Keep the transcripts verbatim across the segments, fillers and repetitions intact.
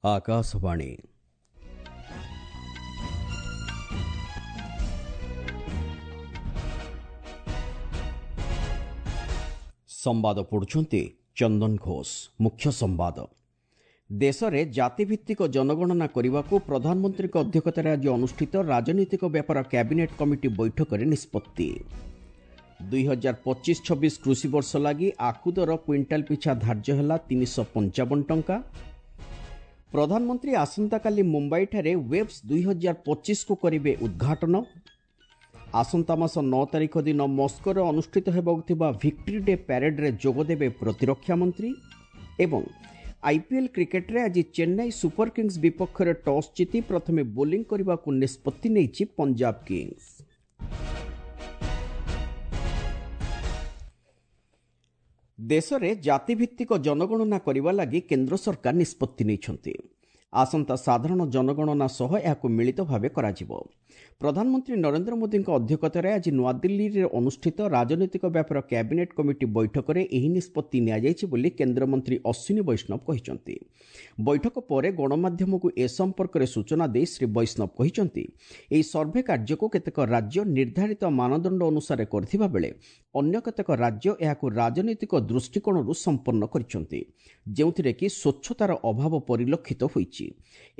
ଆକାଶବାଣୀ। ସମ୍ବାଦ ପଢ଼ୁଛନ୍ତି ଚନ୍ଦନ ଘୋଷ। ମୁଖ୍ୟ ସମ୍ବାଦ। ଦେଶରେ ଜାତିଭିତ୍ତିକ ଜନଗଣନା କରିବାକୁ ପ୍ରଧାନମନ୍ତ୍ରୀଙ୍କ ଅଧ୍ୟକ୍ଷତାରେ ଆଜି ଅନୁଷ୍ଠିତ ରାଜନୈତିକ ବ୍ୟାପାର କ୍ୟାବିନେଟ୍ କମିଟି ବୈଠକରେ ନିଷ୍ପତ୍ତି। ଦୁଇ ହଜାର ପଚିଶ ଛବିଶ କୃଷି ବର୍ଷ ଲାଗି ଆଖୁ ଦର କ୍ୱିଣ୍ଟାଲ ପିଛା ଧାର୍ଯ୍ୟ ହେଲା ତିନିଶହ ପଞ୍ଚାବନ ଟଙ୍କା। ପ୍ରଧାନମନ୍ତ୍ରୀ ଆସନ୍ତାକାଲି ମୁମ୍ବାଇଠାରେ ୱେବ୍ସ ଦୁଇ ହଜାର ପଚିଶକୁ କରିବେ ଉଦ୍ଘାଟନ। ଆସନ୍ତା ମାସ ନଅ ତାରିଖ ଦିନ ମସ୍କୋରେ ଅନୁଷ୍ଠିତ ହେବାକୁ ଥିବା ଭିକ୍ଟ୍ରି ଡେ ପ୍ୟାରେଡ୍ରେ ଯୋଗଦେବେ ପ୍ରତିରକ୍ଷା ମନ୍ତ୍ରୀ। ଏବଂ ଆଇପିଏଲ୍ କ୍ରିକେଟରେ ଆଜି ଚେନ୍ନାଇ ସୁପର କିଙ୍ଗସ୍ ବିପକ୍ଷରେ ଟସ୍ ଜିତି ପ୍ରଥମେ ବୋଲିଂ କରିବାକୁ ନିଷ୍ପତ୍ତି ନେଇଛି ପଞ୍ଜାବ କିଙ୍ଗସ୍। ଦେଶରେ ଜାତିଭିତ୍ତିକ ଜନଗଣନା କରିବା ଲାଗି କେନ୍ଦ୍ର ସରକାର ନିଷ୍ପତ୍ତି ନେଇଛନ୍ତି। ଆସନ୍ତା ସାଧାରଣ ଜନଗଣନା ସହ ଏହାକୁ ମିଳିତ ଭାବେ କରାଯିବ। ପ୍ରଧାନମନ୍ତ୍ରୀ ନରେନ୍ଦ୍ର ମୋଦିଙ୍କ ଅଧ୍ୟକ୍ଷତାରେ ଆଜି ନୂଆଦିଲ୍ଲୀରେ ଅନୁଷ୍ଠିତ ରାଜନୈତିକ ବ୍ୟାପାର କ୍ୟାବିନେଟ୍ କମିଟି ବୈଠକରେ ଏହି ନିଷ୍ପତ୍ତି ନିଆଯାଇଛି ବୋଲି କେନ୍ଦ୍ରମନ୍ତ୍ରୀ ଅଶ୍ୱିନୀ ବୈଷ୍ଣବ କହିଛନ୍ତି। ବୈଠକ ପରେ ଗଣମାଧ୍ୟମକୁ ଏ ସମ୍ପର୍କରେ ସୂଚନା ଦେଇ ଶ୍ରୀ ବୈଷ୍ଣବ କହିଛନ୍ତି, ଏହି ସର୍ଭେ କାର୍ଯ୍ୟକୁ କେତେକ ରାଜ୍ୟ ନିର୍ଦ୍ଧାରିତ ମାନଦଣ୍ଡ ଅନୁସାରେ କରିଥିବା ବେଳେ ଅନ୍ୟ କେତେକ ରାଜ୍ୟ ଏହାକୁ ରାଜନୈତିକ ଦୃଷ୍ଟିକୋଣରୁ ସମ୍ପନ୍ନ କରିଛନ୍ତି, ଯେଉଁଥିରେ କି ସ୍ୱଚ୍ଛତାର ଅଭାବ ପରିଲକ୍ଷିତ ହୋଇଛି।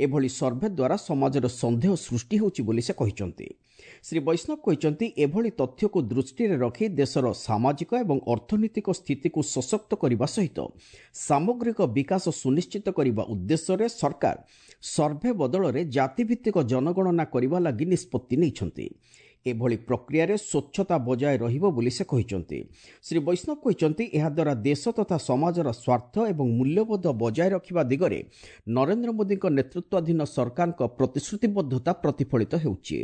ଏଭଳି ସର୍ଭେ ଦ୍ୱାରା ସମାଜରେ ସନ୍ଦେହ ସୃଷ୍ଟି ହେଉଛି ବୋଲି ସେ କହିଛନ୍ତି। ଶ୍ରୀ ବୈଷ୍ଣବ କହିଛନ୍ତି, ଏଭଳି ତଥ୍ୟକୁ ଦୃଷ୍ଟିରେ ରଖି ଦେଶର ସାମାଜିକ ଏବଂ ଅର୍ଥନୈତିକ ସ୍ଥିତିକୁ ସଶକ୍ତ କରିବା ସହିତ ସାମଗ୍ରିକ ବିକାଶ ସୁନିଶ୍ଚିତ କରିବା ଉଦ୍ଦେଶ୍ୟରେ ସରକାର ସର୍ଭେ ବଦଳରେ ଜାତିଭିତ୍ତିକ ଜନଗଣନା କରିବା ଲାଗି ନିଷ୍ପତ୍ତି ନେଇଛନ୍ତି। ଏଭଳି ପ୍ରକ୍ରିୟାରେ ସ୍ୱଚ୍ଛତା ବଜାୟ ରହିବ ବୋଲି ସେ କହିଛନ୍ତି। ଶ୍ରୀ ବୈଷ୍ଣବ କହିଛନ୍ତି, ଏହାଦ୍ୱାରା ଦେଶ ତଥା ସମାଜର ସ୍ୱାର୍ଥ ଏବଂ ମୂଲ୍ୟବୋଧ ବଜାୟ ରଖିବା ଦିଗରେ ନରେନ୍ଦ୍ର ମୋଦିଙ୍କ ନେତୃତ୍ୱାଧୀନ ସରକାରଙ୍କ ପ୍ରତିଶ୍ରୁତିବଦ୍ଧତା ପ୍ରତିଫଳିତ ହେଉଛି।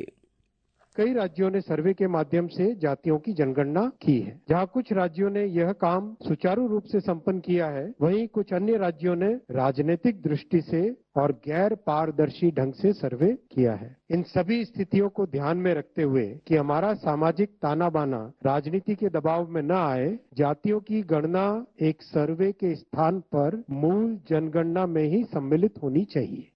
कई राज्यों ने सर्वे के माध्यम से जातियों की जनगणना की है। जहां कुछ राज्यों ने यह काम सुचारू रूप से संपन्न किया है, वहीं कुछ अन्य राज्यों ने राजनीतिक दृष्टि से और गैर पारदर्शी ढंग से सर्वे किया है। इन सभी स्थितियों को ध्यान में रखते हुए कि हमारा सामाजिक ताना बाना राजनीति के दबाव में न आए, जातियों की गणना एक सर्वे के स्थान पर मूल जनगणना में ही सम्मिलित होनी चाहिए।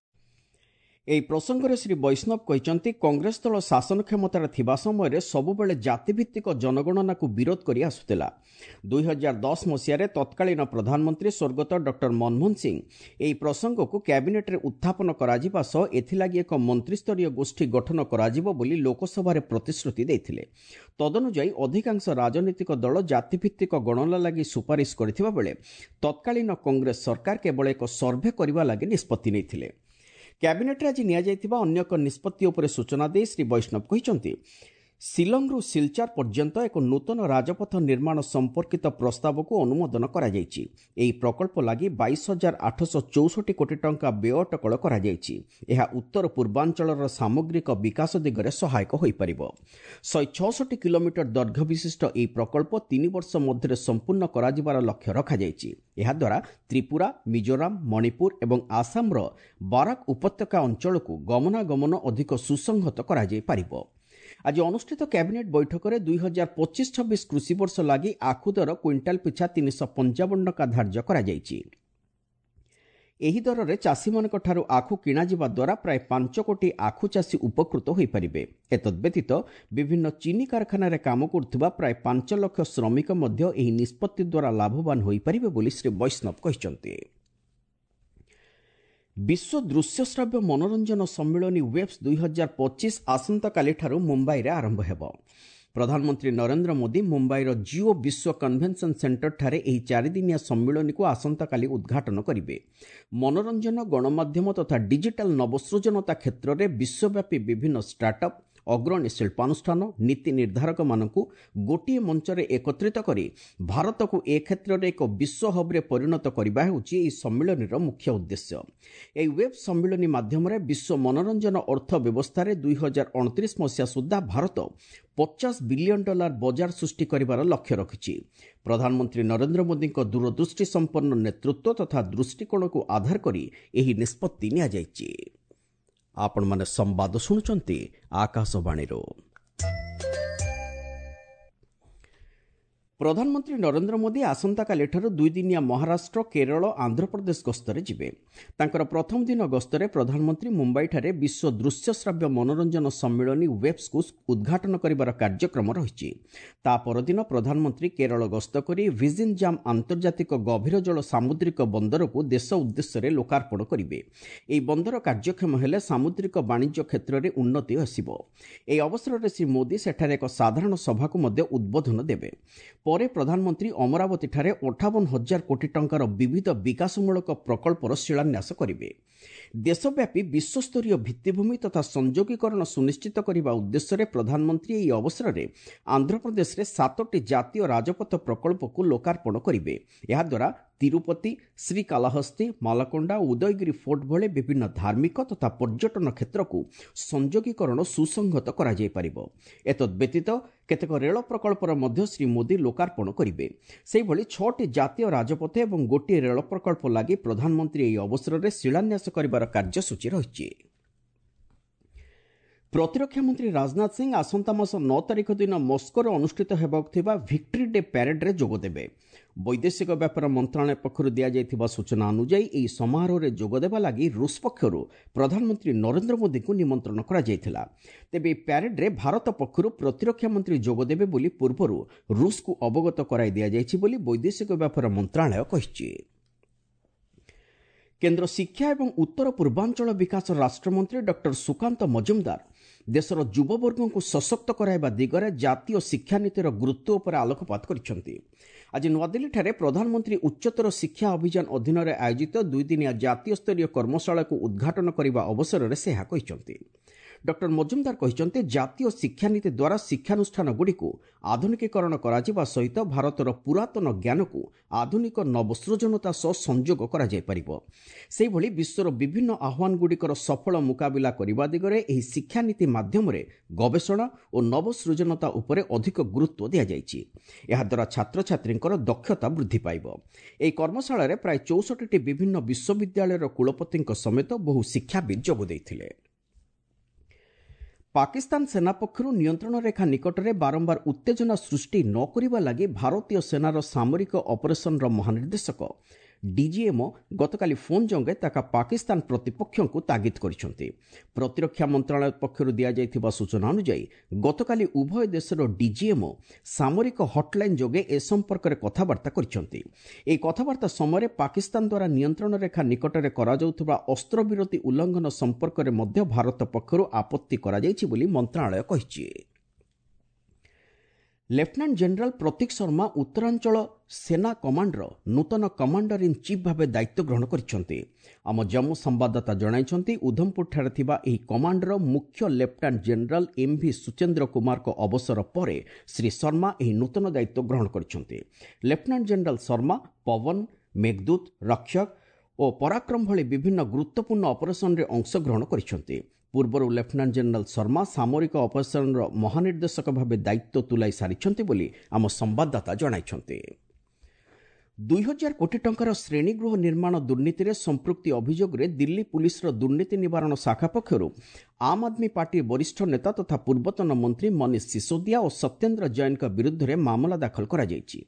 ଏହି ପ୍ରସଙ୍ଗରେ ଶ୍ରୀ ବୈଷ୍ଣବ କହିଛନ୍ତି, କଂଗ୍ରେସ ଦଳ ଶାସନ କ୍ଷମତାରେ ଥିବା ସମୟରେ ସବୁବେଳେ ଜାତିଭିତ୍ତିକ ଜନଗଣନାକୁ ବିରୋଧ କରି ଆସୁଥିଲା। ଦୁଇ ହଜାର ଦଶ ମସିହାରେ ତତ୍କାଳୀନ ପ୍ରଧାନମନ୍ତ୍ରୀ ସ୍ୱର୍ଗତ ଡକ୍ଟର ମନମୋହନ ସିଂ ଏହି ପ୍ରସଙ୍ଗକୁ କ୍ୟାବିନେଟ୍ରେ ଉତ୍ଥାପନ କରାଯିବା ସହ ଏଥିଲାଗି ଏକ ମନ୍ତ୍ରିସ୍ତରୀୟ ଗୋଷ୍ଠୀ ଗଠନ କରାଯିବ ବୋଲି ଲୋକସଭାରେ ପ୍ରତିଶ୍ରୁତି ଦେଇଥିଲେ। ତଦନୁଯାୟୀ ଅଧିକାଂଶ ରାଜନୈତିକ ଦଳ ଜାତିଭିତ୍ତିକ ଗଣନା ଲାଗି ସୁପାରିଶ କରିଥିବା ବେଳେ ତତ୍କାଳୀନ କଂଗ୍ରେସ ସରକାର କେବଳ ଏକ ସର୍ଭେ କରିବା ଲାଗି ନିଷ୍ପତ୍ତି ନେଇଥିଲେ। କ୍ୟାବିନେଟ୍ରେ ଆଜି ନିଆଯାଇଥିବା ଅନ୍ୟ ଏକ ନିଷ୍ପତ୍ତି ଉପରେ ସୂଚନା ଦେଇ ଶ୍ରୀ ବୈଷ୍ଣବ କହିଛନ୍ତି, ଶିଲଂରୁ ସିଲଚାର ପର୍ଯ୍ୟନ୍ତ ଏକ ନୂତନ ରାଜପଥ ନିର୍ମାଣ ସମ୍ପର୍କିତ ପ୍ରସ୍ତାବକୁ ଅନୁମୋଦନ କରାଯାଇଛି। ଏହି ପ୍ରକଳ୍ପ ଲାଗି ବାଇଶ ହଜାର ଆଠଶହ ଚଉଷଠି କୋଟି ଟଙ୍କା ବ୍ୟୟ ଅଟକଳ କରାଯାଇଛି। ଏହା ଉତ୍ତର ପୂର୍ବାଞ୍ଚଳର ସାମଗ୍ରିକ ବିକାଶ ଦିଗରେ ସହାୟକ ହୋଇପାରିବ। ଶହେ ଛଅଷଠି କିଲୋମିଟର ଦୈର୍ଘ୍ୟ ବିଶିଷ୍ଟ ଏହି ପ୍ରକଳ୍ପ ତିନି ବର୍ଷ ମଧ୍ୟରେ ସମ୍ପୂର୍ଣ୍ଣ କରାଯିବାର ଲକ୍ଷ୍ୟ ରଖାଯାଇଛି। ଏହାଦ୍ୱାରା ତ୍ରିପୁରା, ମିଜୋରାମ, ମଣିପୁର ଏବଂ ଆସାମର ବାରାକ ଉପତ୍ୟକା ଅଞ୍ଚଳକୁ ଗମନାଗମନ ଅଧିକ ସୁସଂହତ କରାଯାଇପାରିବ। ଆଜି ଅନୁଷ୍ଠିତ କ୍ୟାବିନେଟ୍ ବୈଠକରେ ଦୁଇ ହଜାର ପଚିଶ ଛବିଶ କୃଷି ବର୍ଷ ଲାଗି ଆଖୁ ଦର କ୍ୱିଣ୍ଟାଲ ପିଛା ତିନିଶହ ପଞ୍ଚାବନ ଟଙ୍କା ଧାର୍ଯ୍ୟ କରାଯାଇଛି। ଏହି ଦରରେ ଚାଷୀମାନଙ୍କଠାରୁ ଆଖୁ କିଣାଯିବା ଦ୍ୱାରା ପ୍ରାୟ ପାଞ୍ଚ କୋଟି ଆଖୁ ଚାଷୀ ଉପକୃତ ହୋଇପାରିବେ। ଏତଦ୍ବ୍ୟତୀତ ବିଭିନ୍ନ ଚିନି କାରଖାନାରେ କାମ କରୁଥିବା ପ୍ରାୟ ପାଞ୍ଚ ଲକ୍ଷ ଶ୍ରମିକ ମଧ୍ୟ ଏହି ନିଷ୍ପତ୍ତି ଦ୍ୱାରା ଲାଭବାନ ହୋଇପାରିବେ ବୋଲି ଶ୍ରୀ ବୈଷ୍ଣବ କହିଛନ୍ତି। ବିଶ୍ୱ ଦୃଶ୍ୟଶ୍ରାବ୍ୟ ମନୋରଞ୍ଜନ ସମ୍ମିଳନୀ ୱେବ୍ସ ଦୁଇ ହଜାର ପଚିଶ ଆସନ୍ତାକାଲିଠାରୁ ମୁମ୍ବାଇରେ ଆରମ୍ଭ ହେବ। ପ୍ରଧାନମନ୍ତ୍ରୀ ନରେନ୍ଦ୍ର ମୋଦି ମୁମ୍ବାଇର ଜିଓ ବିଶ୍ୱ କନଭେନସନ୍ ସେଣ୍ଟରଠାରେ ଏହି ଚାରିଦିନିଆ ସମ୍ମିଳନୀକୁ ଆସନ୍ତାକାଲି ଉଦ୍ଘାଟନ କରିବେ। ମନୋରଞ୍ଜନ, ଗଣମାଧ୍ୟମ ତଥା ଡିଜିଟାଲ ନବସୃଜନତା କ୍ଷେତ୍ରରେ ବିଶ୍ୱବ୍ୟାପୀ ବିଭିନ୍ନ ଷ୍ଟାର୍ଟଅପ୍, ଅଗ୍ରଣୀ ଶିଳ୍ପାନୁଷ୍ଠାନ, ନୀତି ନିର୍ଦ୍ଧାରକମାନଙ୍କୁ ଗୋଟିଏ ମଞ୍ଚରେ ଏକତ୍ରିତ କରି ଭାରତକୁ ଏ କ୍ଷେତ୍ରରେ ଏକ ବିଶ୍ୱ ହବ୍ରେ ପରିଣତ କରିବା ହେଉଛି ଏହି ସମ୍ମିଳନୀର ମୁଖ୍ୟ ଉଦ୍ଦେଶ୍ୟ। ଏହି ୱେବ୍ ସମ୍ମିଳନୀ ମାଧ୍ୟମରେ ବିଶ୍ୱ ମନୋରଞ୍ଜନ ଅର୍ଥ ବ୍ୟବସ୍ଥାରେ ଦୁଇ ହଜାର ଅଣତିରିଶ ମସିହା ସୁଦ୍ଧା ଭାରତ ପଚାଶ ବିଲିୟନ ଡଲାର ବଜାର ସୃଷ୍ଟି କରିବାର ଲକ୍ଷ୍ୟ ରଖିଛି। ପ୍ରଧାନମନ୍ତ୍ରୀ ନରେନ୍ଦ୍ର ମୋଦିଙ୍କ ଦୂରଦୃଷ୍ଟି ସମ୍ପନ୍ନ ନେତୃତ୍ୱ ତଥା ଦୃଷ୍ଟିକୋଣକୁ ଆଧାର କରି ଏହି ନିଷ୍ପତ୍ତି ନିଆଯାଇଛି। ଆପଣମାନେ ସମ୍ବାଦ ଶୁଣୁଛନ୍ତି ଆକାଶବାଣୀରୁ। ପ୍ରଧାନମନ୍ତ୍ରୀ ନରେନ୍ଦ୍ର ମୋଦି ଆସନ୍ତାକାଲିଠାରୁ ଦୁଇଦିନିଆ ମହାରାଷ୍ଟ୍ର, କେରଳ, ଆନ୍ଧ୍ରପ୍ରଦେଶ ଗସ୍ତରେ ଯିବେ। ତାଙ୍କର ପ୍ରଥମ ଦିନ ଗସ୍ତରେ ପ୍ରଧାନମନ୍ତ୍ରୀ ମୁମ୍ବାଇଠାରେ ବିଶ୍ୱ ଦୃଶ୍ୟଶ୍ରାବ୍ୟ ମନୋରଞ୍ଜନ ସମ୍ମିଳନୀ ୱେବ୍ସକୁ ଉଦ୍ଘାଟନ କରିବାର କାର୍ଯ୍ୟକ୍ରମ ରହିଛି। ତା ପରଦିନ ପ୍ରଧାନମନ୍ତ୍ରୀ କେରଳ ଗସ୍ତ କରି ଭିଜିନ୍ ଜାମ୍ ଆନ୍ତର୍ଜାତିକ ଗଭୀର ଜଳ ସାମୁଦ୍ରିକ ବନ୍ଦରକୁ ଦେଶ ଉଦ୍ଦେଶ୍ୟରେ ଲୋକାର୍ପଣ କରିବେ। ଏହି ବନ୍ଦର କାର୍ଯ୍ୟକ୍ଷମ ହେଲେ ସାମୁଦ୍ରିକ ବାଣିଜ୍ୟ କ୍ଷେତ୍ରରେ ଉନ୍ନତି ଆସିବ। ଏହି ଅବସରରେ ଶ୍ରୀ ମୋଦି ସେଠାରେ ଏକ ସାଧାରଣ ସଭାକୁ ମଧ୍ୟ ଉଦ୍ବୋଧନ ଦେବେ। ପରେ ପ୍ରଧାନମନ୍ତ୍ରୀ ଅମରାବତୀଠାରେ ଅଠାବନ ହଜାର କୋଟି ଟଙ୍କାର ବିବିଧ ବିକାଶମୂଳକ ପ୍ରକଳ୍ପର ଶିଳାନ୍ୟାସ କରିବେ। ଦେଶବ୍ୟାପୀ ବିଶ୍ୱସ୍ତରୀୟ ଭିତ୍ତିଭୂମି ତଥା ସଂଯୋଗୀକରଣ ସୁନିଶ୍ଚିତ କରିବା ଉଦ୍ଦେଶ୍ୟରେ ପ୍ରଧାନମନ୍ତ୍ରୀ ଏହି ଅବସରରେ ଆନ୍ଧ୍ରପ୍ରଦେଶରେ ସାତୋଟି ଜାତୀୟ ରାଜପଥ ପ୍ରକଳ୍ପକୁ ଲୋକାର୍ପଣ କରିବେ। ଏହାଦ୍ୱାରା ତିରୁପତି, ଶ୍ରୀକାଲାହସ୍ତି, ମାଲକୋଣ୍ଡା ଓ ଉଦୟଗିରି ଫୋର୍ଟ ଭଳି ବିଭିନ୍ନ ଧାର୍ମିକ ତଥା ପର୍ଯ୍ୟଟନ କ୍ଷେତ୍ରକୁ ସଂଯୋଗୀକରଣ ସୁସଂହତ କରାଯାଇପାରିବ। ଏତଦ୍ବ୍ୟତୀତ କେତେକ ରେଳ ପ୍ରକଳ୍ପର ମଧ୍ୟ ଶ୍ରୀ ମୋଦି ଲୋକାର୍ପଣ କରିବେ। ସେହିଭଳି ଛଅଟି ଜାତୀୟ ରାଜପଥ ଏବଂ ଗୋଟିଏ ରେଳ ପ୍ରକଳ୍ପ ଲାଗି ପ୍ରଧାନମନ୍ତ୍ରୀ ଏହି ଅବସରରେ ଶିଳାନ୍ୟାସ କରିବାର କାର୍ଯ୍ୟସୂଚୀ ରହିଛି। ପ୍ରତିରକ୍ଷା ମନ୍ତ୍ରୀ ରାଜନାଥ ସିଂ ଆସନ୍ତା ମାସ ନଅ ତାରିଖ ଦିନ ମସ୍କୋରେ ଅନୁଷ୍ଠିତ ହେବାକୁ ଥିବା ଭିକ୍ଟ୍ରି ଡେ ପ୍ୟାରେଡ୍ରେ ଯୋଗଦେବେ। ବୈଦେଶିକ ବ୍ୟାପାର ମନ୍ତ୍ରଣାଳୟ ପକ୍ଷରୁ ଦିଆଯାଇଥିବା ସୂଚନା ଅନୁଯାୟୀ, ଏହି ସମାରୋହରେ ଯୋଗଦେବା ଲାଗି ରୁଷ ପକ୍ଷରୁ ପ୍ରଧାନମନ୍ତ୍ରୀ ନରେନ୍ଦ୍ର ମୋଦିଙ୍କୁ ନିମନ୍ତ୍ରଣ କରାଯାଇଥିଲା। ତେବେ ଏହି ପ୍ୟାରେଡ୍ରେ ଭାରତ ପକ୍ଷରୁ ପ୍ରତିରକ୍ଷା ମନ୍ତ୍ରୀ ଯୋଗଦେବେ ବୋଲି ପୂର୍ବରୁ ରୁଷକୁ ଅବଗତ କରାଇ ଦିଆଯାଇଛି ବୋଲି ବୈଦେଶିକ ବ୍ୟାପାର ମନ୍ତ୍ରଣାଳୟ କହିଛି। କେନ୍ଦ୍ର ଶିକ୍ଷା ଏବଂ ଉତ୍ତର ପୂର୍ବାଞ୍ଚଳ ବିକାଶ ରାଷ୍ଟ୍ରମନ୍ତ୍ରୀ ଡକ୍ଟର ସୁକାନ୍ତ ମଜୁମଦାର ଦେଶର ଯୁବବର୍ଗଙ୍କୁ ସଶକ୍ତ କରାଇବା ଦିଗରେ ଜାତୀୟ ଶିକ୍ଷାନୀତିର ଗୁରୁତ୍ୱ ଉପରେ ଆଲୋକପାତ କରିଛନ୍ତି। ଆଜି ନୂଆଦିଲ୍ଲୀଠାରେ ପ୍ରଧାନମନ୍ତ୍ରୀ ଉଚ୍ଚତର ଶିକ୍ଷା ଅଭିଯାନ ଅଧୀନରେ ଆୟୋଜିତ ଦୁଇଦିନିଆ ଜାତୀୟ ସ୍ତରୀୟ କର୍ମଶାଳାକୁ ଉଦ୍ଘାଟନ କରିବା ଅବସରରେ ସେ ଏହା କହିଛନ୍ତି। ଡକ୍ଟର ମଜୁମଦାର କହିଛନ୍ତି, ଜାତୀୟ ଶିକ୍ଷାନୀତି ଦ୍ୱାରା ଶିକ୍ଷାନୁଷ୍ଠାନଗୁଡ଼ିକୁ ଆଧୁନିକୀକରଣ କରାଯିବା ସହିତ ଭାରତର ପୁରାତନ ଜ୍ଞାନକୁ ଆଧୁନିକ ନବସୃଜନତା ସହ ସଂଯୋଗ କରାଯାଇପାରିବ। ସେହିଭଳି ବିଶ୍ୱର ବିଭିନ୍ନ ଆହ୍ୱାନଗୁଡ଼ିକର ସଫଳ ମୁକାବିଲା କରିବା ଦିଗରେ ଏହି ଶିକ୍ଷାନୀତି ମାଧ୍ୟମରେ ଗବେଷଣା ଓ ନବସୃଜନତା ଉପରେ ଅଧିକ ଗୁରୁତ୍ୱ ଦିଆଯାଇଛି। ଏହାଦ୍ୱାରା ଛାତ୍ରଛାତ୍ରୀଙ୍କର ଦକ୍ଷତା ବୃଦ୍ଧି ପାଇବ। ଏହି କର୍ମଶାଳାରେ ପ୍ରାୟ ଚଉଷଠିଟି ବିଭିନ୍ନ ବିଶ୍ୱବିଦ୍ୟାଳୟର କୁଳପତିଙ୍କ ସମେତ ବହୁ ଶିକ୍ଷାବିତ୍ ଯୋଗ ଦେଇଥିଲେ। ପାକିସ୍ତାନ ସେନା ପକ୍ଷରୁ ନିୟନ୍ତ୍ରଣ ରେଖା ନିକଟରେ ବାରମ୍ବାର ଉତ୍ତେଜନା ସୃଷ୍ଟି ନ କରିବା ଲାଗି ଭାରତୀୟ ସେନାର ସାମରିକ ଅପରେସନର ମହାନିର୍ଦ୍ଦେଶକ ଡିଜିଏମ୍ଓ ଗତକାଲି ଫୋନ୍ ଯୋଗେ ତାଙ୍କ ପାକିସ୍ତାନ ପ୍ରତିପକ୍ଷଙ୍କୁ ତାଗିଦ କରିଛନ୍ତି। ପ୍ରତିରକ୍ଷା ମନ୍ତ୍ରଣାଳୟ ପକ୍ଷରୁ ଦିଆଯାଇଥିବା ସୂଚନା ଅନୁଯାୟୀ, ଗତକାଲି ଉଭୟ ଦେଶର ଡିଜିଏମ୍ଓ ସାମରିକ ହଟ୍ଲାଇନ୍ ଯୋଗେ ଏ ସମ୍ପର୍କରେ କଥାବାର୍ତ୍ତା କରିଛନ୍ତି। ଏହି କଥାବାର୍ତ୍ତା ସମୟରେ ପାକିସ୍ତାନ ଦ୍ୱାରା ନିୟନ୍ତ୍ରଣ ରେଖା ନିକଟରେ କରାଯାଉଥିବା ଅସ୍ତ୍ରବିରତି ଉଲ୍ଲଂଘନ ସମ୍ପର୍କରେ ମଧ୍ୟ ଭାରତ ପକ୍ଷରୁ ଆପତ୍ତି କରାଯାଇଛି ବୋଲି ମନ୍ତ୍ରଣାଳୟ କହିଛି। ଲେଫ୍ଟନାଣ୍ଟ ଜେନେରାଲ ପ୍ରତୀକ ଶର୍ମା ଉତ୍ତରାଞ୍ଚଳ ସେନା କମାଣ୍ଡର ନୂତନ କମାଣ୍ଡର ଇନ୍ ଚିଫ୍ ଭାବେ ଦାୟିତ୍ୱ ଗ୍ରହଣ କରିଛନ୍ତି। ଆମ ଜମ୍ମୁ ସମ୍ବାଦଦାତା ଜଣାଇଛନ୍ତି, ଉଧମପୁରଠାରେ ଥିବା ଏହି କମାଣ୍ଡର ମୁଖ୍ୟ ଲେଫ୍ଟନାଣ୍ଟ ଜେନେରାଲ ଏମ୍ଭି ସୁଚେନ୍ଦ୍ର କୁମାରଙ୍କ ଅବସର ପରେ ଶ୍ରୀ ଶର୍ମା ଏହି ନୂତନ ଦାୟିତ୍ୱ ଗ୍ରହଣ କରିଛନ୍ତି। ଲେଫ୍ଟନାଣ୍ଟ ଜେନେରାଲ ଶର୍ମା ପବନ, ମେଘଦୂତ, ରକ୍ଷକ ଓ ପରାକ୍ରମ ଭଳି ବିଭିନ୍ନ ଗୁରୁତ୍ୱପୂର୍ଣ୍ଣ ଅପରେସନରେ ଅଂଶଗ୍ରହଣ କରିଛନ୍ତି। ପୂର୍ବରୁ ଲେଫ୍ଟନାଣ୍ଟ ଜେନେରାଲ ଶର୍ମା ସାମରିକ ଅପରେସନର ମହାନିର୍ଦ୍ଦେଶକ ଭାବେ ଦାୟିତ୍ୱ ତୁଲାଇ ସାରିଛନ୍ତି ବୋଲି ଆମ ସମ୍ବାଦଦାତା ଜଣାଇଛନ୍ତି। ଦୁଇ ହଜାର କୋଟି ଟଙ୍କାର ଶ୍ରେଣୀଗୃହ ନିର୍ମାଣ ଦୁର୍ନୀତିରେ ସମ୍ପୃକ୍ତି ଅଭିଯୋଗରେ ଦିଲ୍ଲୀ ପୁଲିସର ଦୁର୍ନୀତି ନିବାରଣ ଶାଖା ପକ୍ଷରୁ ଆମ୍ ଆଦମୀ ପାର୍ଟି ବରିଷ୍ଠ ନେତା ତଥା ପୂର୍ବତନ ମନ୍ତ୍ରୀ ମନୀଷ ସିସୋଦିଆ ଓ ସତ୍ୟେନ୍ଦ୍ର ଜୈନଙ୍କ ବିରୁଦ୍ଧରେ ମାମଲା ଦାଖଲ କରାଯାଇଛି।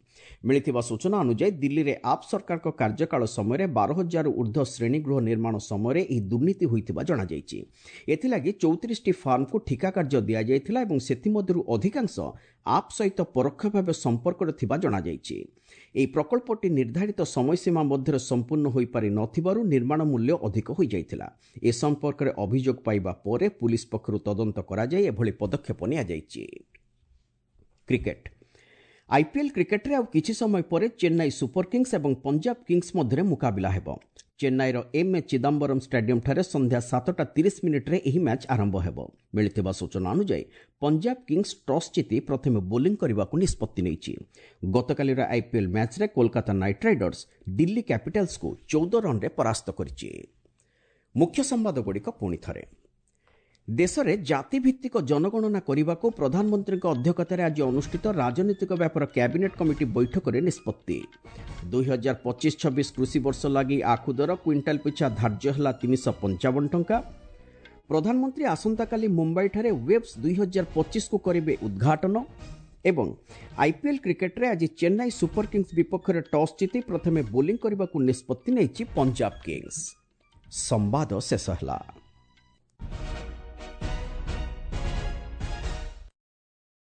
ମିଳିଥିବା ସୂଚନା ଅନୁଯାୟୀ, ଦିଲ୍ଲୀରେ ଆପ୍ ସରକାରଙ୍କ କାର୍ଯ୍ୟକାଳ ସମୟରେ ବାର ହଜାରରୁ ଉର୍ଦ୍ଧ୍ୱ ଶ୍ରେଣୀଗୃହ ନିର୍ମାଣ ସମୟରେ ଏହି ଦୁର୍ନୀତି ହୋଇଥିବା ଜଣାଯାଇଛି। ଏଥିଲାଗି ଚଉତିରିଶଟି ଫାର୍ମକୁ ଠିକା କାର୍ଯ୍ୟ ଦିଆଯାଇଥିଲା ଏବଂ ସେଥିମଧ୍ୟରୁ ଅଧିକାଂଶ ଆପ୍ ସହିତ ପରୋକ୍ଷ ଭାବେ ସମ୍ପର୍କରେ ଥିବା ଜଣାଯାଇଛି। ଏହି ପ୍ରକଳ୍ପଟି ନିର୍ଦ୍ଧାରିତ ସମୟସୀମା ମଧ୍ୟରେ ସମ୍ପୂର୍ଣ୍ଣ ହୋଇପାରି ନଥିବାରୁ ନିର୍ମାଣ ମୂଲ୍ୟ ଅଧିକ ହୋଇଯାଇଥିଲା। ଏ ସମ୍ପର୍କରେ ଅଭିଯୋଗ ପାଇବା ପରେ ପୁଲିସ ପକ୍ଷରୁ ତଦନ୍ତ କରାଯାଇ ଏଭଳି ପଦକ୍ଷେପ ନିଆଯାଇଛି। କ୍ରିକେଟ। ଆଇପିଏଲ୍ କ୍ରିକେଟରେ ଆଉ କିଛି ସମୟ ପରେ ଚେନ୍ନାଇ ସୁପର କିଙ୍ଗସ୍ ଏବଂ ପଞ୍ଜାବ କିଙ୍ଗସ୍ ମଧ୍ୟରେ ମୁକାବିଲା ହେବ। ଚେନ୍ନାଇର ଏମ୍ ଏ ଚିଦାମ୍ବରମ୍ ଷ୍ଟାଡିୟମ୍ଠାରେ ସନ୍ଧ୍ୟା ସାତଟା ତିରିଶ ମିନିଟ୍ରେ ଏହି ମ୍ୟାଚ୍ ଆରମ୍ଭ ହେବ। ମିଳିଥିବା ସୂଚନା ଅନୁଯାୟୀ, ପଞ୍ଜାବ କିଙ୍ଗସ୍ ଟସ୍ ଜିତି ପ୍ରଥମେ ବୋଲିଂ କରିବାକୁ ନିଷ୍ପତ୍ତି ନେଇଛି। ଗତକାଲିର ଆଇପିଏଲ୍ ମ୍ୟାଚ୍ରେ କୋଲକାତା ନାଇଟ୍ ରାଇଡର୍ସ ଦିଲ୍ଲୀ କ୍ୟାପିଟାଲ୍ସକୁ ଚଉଦ ରନ୍ରେ ପରାସ୍ତ କରିଛି। ମୁଖ୍ୟ ସମ୍ବାଦଗୁଡ଼ିକ ପୁଣି ଥରେ। ଦେଶରେ ଜାତିଭିତ୍ତିକ ଜନଗଣନା କରିବାକୁ ପ୍ରଧାନମନ୍ତ୍ରୀଙ୍କ ଅଧ୍ୟକ୍ଷତାରେ ଆଜି ଅନୁଷ୍ଠିତ ରାଜନୈତିକ ବ୍ୟାପାର କ୍ୟାବିନେଟ୍ କମିଟି ବୈଠକରେ ନିଷ୍ପତ୍ତି। ଦୁଇ ହଜାର ପଚିଶ ଛବିଶ କୃଷି ବର୍ଷ ଲାଗି ଆଖୁ ଦର କ୍ୱିଣ୍ଟାଲ ପିଛା ଧାର୍ଯ୍ୟ ହେଲା ତିନିଶହ ପଞ୍ଚାବନ ଟଙ୍କା। ପ୍ରଧାନମନ୍ତ୍ରୀ ଆସନ୍ତାକାଲି ମୁମ୍ବାଇଠାରେ ୱେବ୍ସ ଦୁଇ ହଜାର ପଚିଶକୁ କରିବେ ଉଦ୍ଘାଟନ। ଏବଂ ଆଇପିଏଲ୍ କ୍ରିକେଟ୍ରେ ଆଜି ଚେନ୍ନାଇ ସୁପର କିଙ୍ଗସ୍ ବିପକ୍ଷରେ ଟସ୍ ଜିତି ପ୍ରଥମେ ବୋଲିଂ କରିବାକୁ ନିଷ୍ପତ୍ତି ନେଇଛି ପଞ୍ଜାବ କିଙ୍ଗସ୍। ସମ୍ବାଦ ଶେଷ ହେଲା।